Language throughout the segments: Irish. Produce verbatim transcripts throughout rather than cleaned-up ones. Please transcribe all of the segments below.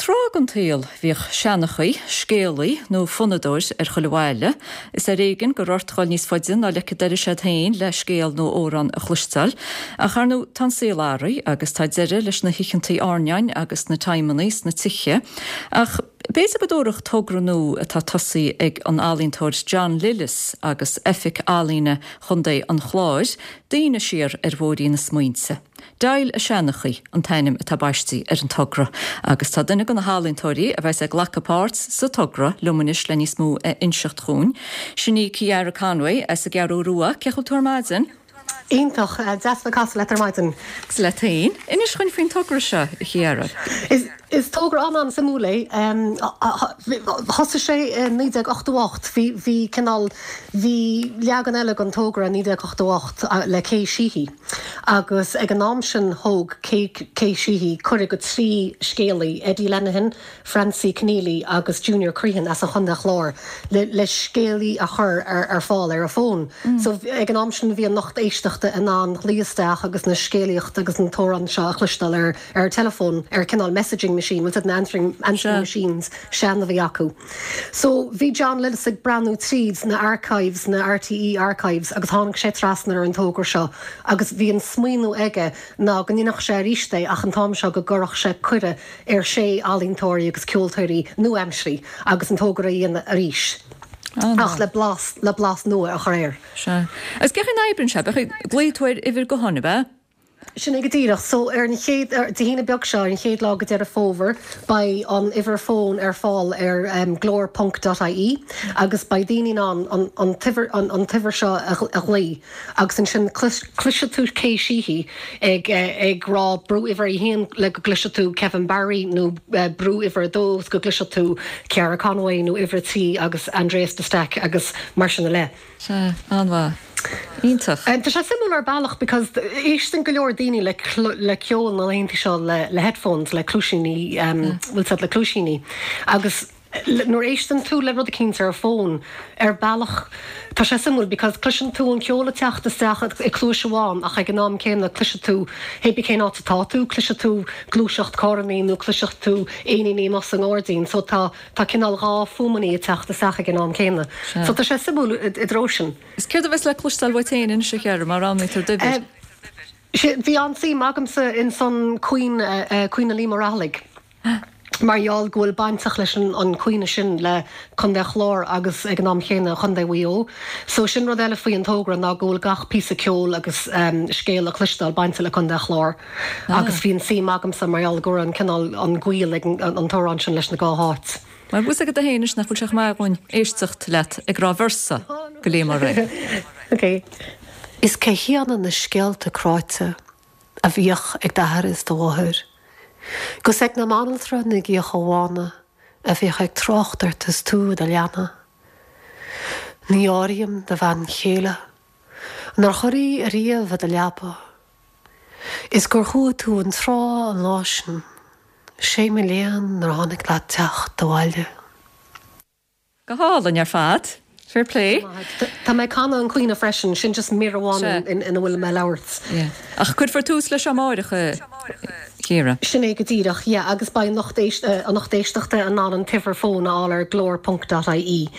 Tráth den tsaol bhíodh seanchaí, scéalaí nó fonnadóir ar chuile bhaile, is ar éigean go raibh ort dhul níos faide ná leic an dorais iad féin le scéal nó amhrán a chloisteáil. Ach ar ndóigh tá an saol athraithe agus tá deireadh leis na hoícheantaí airneáin agus na timeannaí sna tithe. Ach b'fhéidir go dtabharfadh togra nua atá tosaithe ag an ealaíontóir John Lillis agus Oifig Ealaíne Chontae an Chláir, daoine siar ar bhóithrín na smaointe. Dial a Seanchaí an t-ainm atá baiste ar an togra, agus tá duine de na healaíontóirí a bheas ag glacadh páirt sa togra liom anois le níos mó a inseacht dhúinn. Sin í Ciara Conway as an gCeathrú Rua, cén chaoi a bhfuil tú ar maidin? Iontach deas le casadh leat ar maidin. Agus leat féin, inis dhúinn faoin togra seo a Chiara. Is is togra an-an-suimiúil é thosaigh sé i naoi déag ochtó ocht bhí bhí cineál bhí leagan eile den togra naoi déag ochtó ocht le Kay Sheehy agus ag an am sin thóg Kay Sheehy cuireadh go trí scéalaí Eddie Lenihan, Francie Keneally agus Junior Crehan as an Chontae Chláir le le scéalaí a chur ar ar fáil ar a fón. Mm. So ag an am sin bhí an lucht éisteachta in ann glaoch isteach agus na scéalaíocht agus an t-amhrán seo a chloisteáil ar ar telefón ar cineál messaging machine, well an answering, answering machines sean a bhí acu. So bhí John Lillis ag breathnú tríd na archives na RTE archives agus tháinig sé trasna ar an togra seo agus bhí an smaoineamh aige ná go ndéanfadh sé arís é ach an t-am seo go gcuirfeadh sé cuireadh ar sé ealaíontóirí agus ceoltóirí nua-aimseartha agus an togra a dhéanamh arís. ach le blas le blas nua a chur air. Sea. Agus cén chaoi a n-oibríonn sé, glaofaidh tú ar uimhir gutháin ab ea? Sin é go díreach, so ar an chéad Dé hAoine beag seo ar an chéad lá de Dheireadh Fómhair beidh an uimhir fón ar fáil ar um, glór.ie agus beidh daoine in ann an, an t-uimhir an, an t-uimhir seo a, a ghlaoch agus ansin cloisfidh tú Kay Sheehy ag ag rá brú uimhir a haon le go gcloisfidh tú Kevin Barry nó uh, brú uimhir a dó go gcloisfidh tú Ciara Conway nó uimhir trí agus Andreas de Staic agus mar sin eile. Sea, an-mhaith. Iontach. Tá sé suimiúil ar bealach because éisteann go leor daoine le le ceol na laethanta seo le le headphones le cluaisíní um, bhfuil le cluaisíní agus nuair éisteann tú le rud éicint ar fón ar bealach tá sé suimiúil because cloiseann tú an ceol ag teacht isteach i gcluais amháin ach ag an am céanna cloisfidh tú hé cén áit atá tú cloisfidh tú gluaiseacht carrannaí nó cloisfidh tú éiníní amuigh sa ngairdín so tá tá cineál dhá fuaimeanna ag teacht isteach ag an am céanna. So tá sé suimiúil i dtreo sin. Is céard a bheas le cloisteáil uait féin anois a Chiara mar roghnaítear d'uimhir. Bhí an-suim agamsa in san caoineadh caoineadh Liam Ó Raghallaigh. Mar gheall go bhfuil bainteach leis an an caoineadh sin le Contae Chláir agus ag an am chéanna Contae Mhaigh Eo. So sin rud eile faoi an togra ná go bhfuil gach píosa ceoil agus um, scéal a chloisteáil bainte le Contae Chláir. Ah. Agus bhí an-suim agamsa mar gheall go an cineál an gaol ag an, an t-amhrán sin leis na dhá háit. Mar bhus agad a héis nach bhfuil sé mar ghúin éisteacht leat ag rá véarsa go lé mar ré. Okay. Is cé hiad na scéalta cráite a bhíodh ag d'athair is do mháthair. Gus ag na banaltra na gcíocha bhána a bhíodh ag trácht ort is tú i do leaba. Ní áirím do bhean chéile, nár chuir í ariamh i do leaba. Is gur chuaigh tú an trá an lá sin, sé mo léan nár tháinig leat teacht abhaile. Go hálainn ar fad. Fair play. Tá mé ag canadh an caoineadh freisin sin just mír amháin ina bhfuil mé ag labhairt. Ach cuirfear tús leis amárach Ciara. Sin é go díreach, yeah, agus beidh an lucht an lucht éisteachta in ann an t-uimhir fón a fháil ar glór.ie.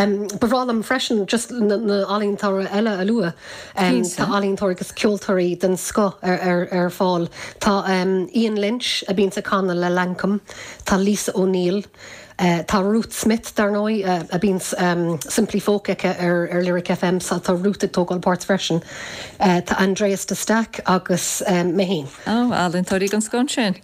Um, Ba bhreá liom freisin just na, na ealaíontóirí eile a lua. Um, tá ealaíontóirí agus ceoltóirí den scoth ar, ar, ar fáil. Tá um, Ian Lynch a bhíonn ag canadh le Lankum, Tá Lisa O'Neill, Uh, tá Ruth Smith dar ndóigh uh, a bhíonn um, Simply Folk aici ar, ar Lyric FM sa tá Ruth ag tógáil páirt freisin. Uh, tá Andreas de Staic agus um, mé féin. Ó ealaíontóirí den scoth sin.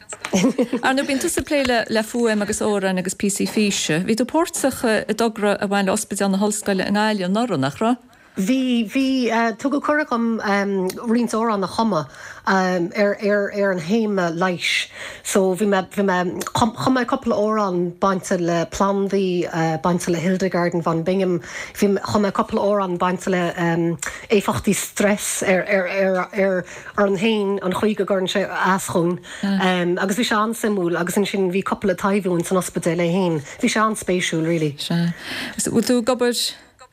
Ar ndóigh bíonn tusa ag plé le le fuaim agus amhráin agus píosaí físe. Bhí tú páirteach i dtogra a bhain le Ospidéal na hOllscoile i nGaillimh anuraidh nach raibh? Bhí bhí uh, tugadh cuireadh dom um, roinnt amhrán a chumadh um, ar, ar, ar an théama leighis. So bhí mé bhí mé chum mé cúpla amhrán bainte le plandaí uh, bainte le Hildegard von Bingen, bhí chum mé cúpla amhrán bainte le um, éifeachtaí stress ar ar ar ar ar an héin an chaoi go gcuireann sé as dúinn. Um, agus bhí sé an-suimiúil agus ansin bhí cúpla taibhiú san ospidéal é féin. Bhí sé an-spéisiúil really. Sea. Bhfuil tú ag obair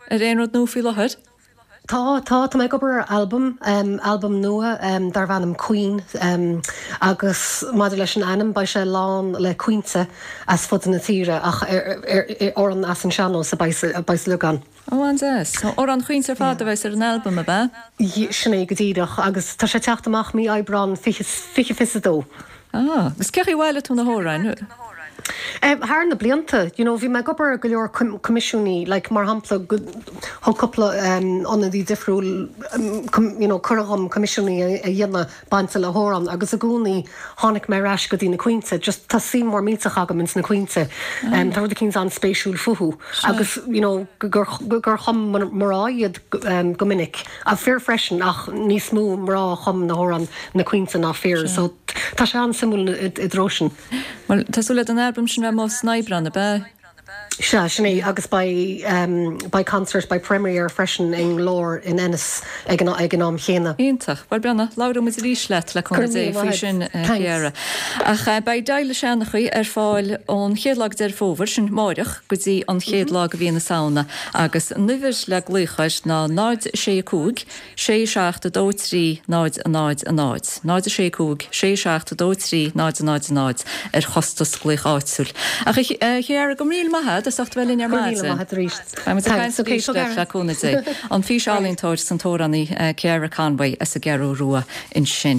ar aon rud nua faoi láthair? Tá, tá, tá mé ag obair ar albam, albam nua darb ainm Caoin agus maidir leis an ainm, beidh sé lán le caointe as fud na tíre ach amhráin as an sean-nós a bheidh sa leagan. Ó, an-deas. Amhráin chaointe ar fad a bheas ar an albam, ab ea? Sin é go díreach agus tá sé ag teacht amach mí Aibreán fiche fiche a dó. Ah, agus cé chaoi ar bhailigh tú na hamhráin? Thar na blianta, you know, bhí mé ag obair ar go leor coimisiúnaí, like, mar shampla, thug cúpla ionadaí difriúil, you know, cuireadh dhom coimisiúnaí a dhéanamh bainte le hamhrán agus i gcónaí tháinig mé ar ais go dtí na caointe, just tá suim mhór millteach agam ins na caointe. Tá rud eicínt an-spéisiúil fúthu agus, you know, gur gur chum mná iad go minic, fir freisin ach níos mó mná a chum na hamhráin, na caointe ná fir, so tá sé an-suimiúil i dtreo sin. Bhuel, tá súil leat an albam sin a bheith amuigh san Aibreán, ab ea? Sea, sin é, agus beidh, beidh concert, beidh premiere freisin i nGlór in Ennis ag an, ag an am chéanna. Iontach. Bhuel, Brenna, labhróidh muid arís leat, le cúnamh Dé, faoi sin, Ciara. Ach beidh Deighleadh Seanchaí ar fáil ón chéad lá de Deireadh Fómhair, sin amáireach, go dtí an chéad lá de mhí na Samhna, agus an uimhir le glaoch air ná náid sé a cúig, sé seacht a dó trí náid a náid a náid, náid a sé cúig, sé seacht a dó trí náid a náid a náid ar chostas glaoch áitiúil. Ach a Chiara, go raibh míle maith agat as ucht a bheith linn ar maidin. Go raibh míle maith agat arís. Beidh muid ag caint arís leat le cúnamh Dé. An físealaíontóir is an t-amhránaí Ciara Conway as an gCeathrú Rua ansin.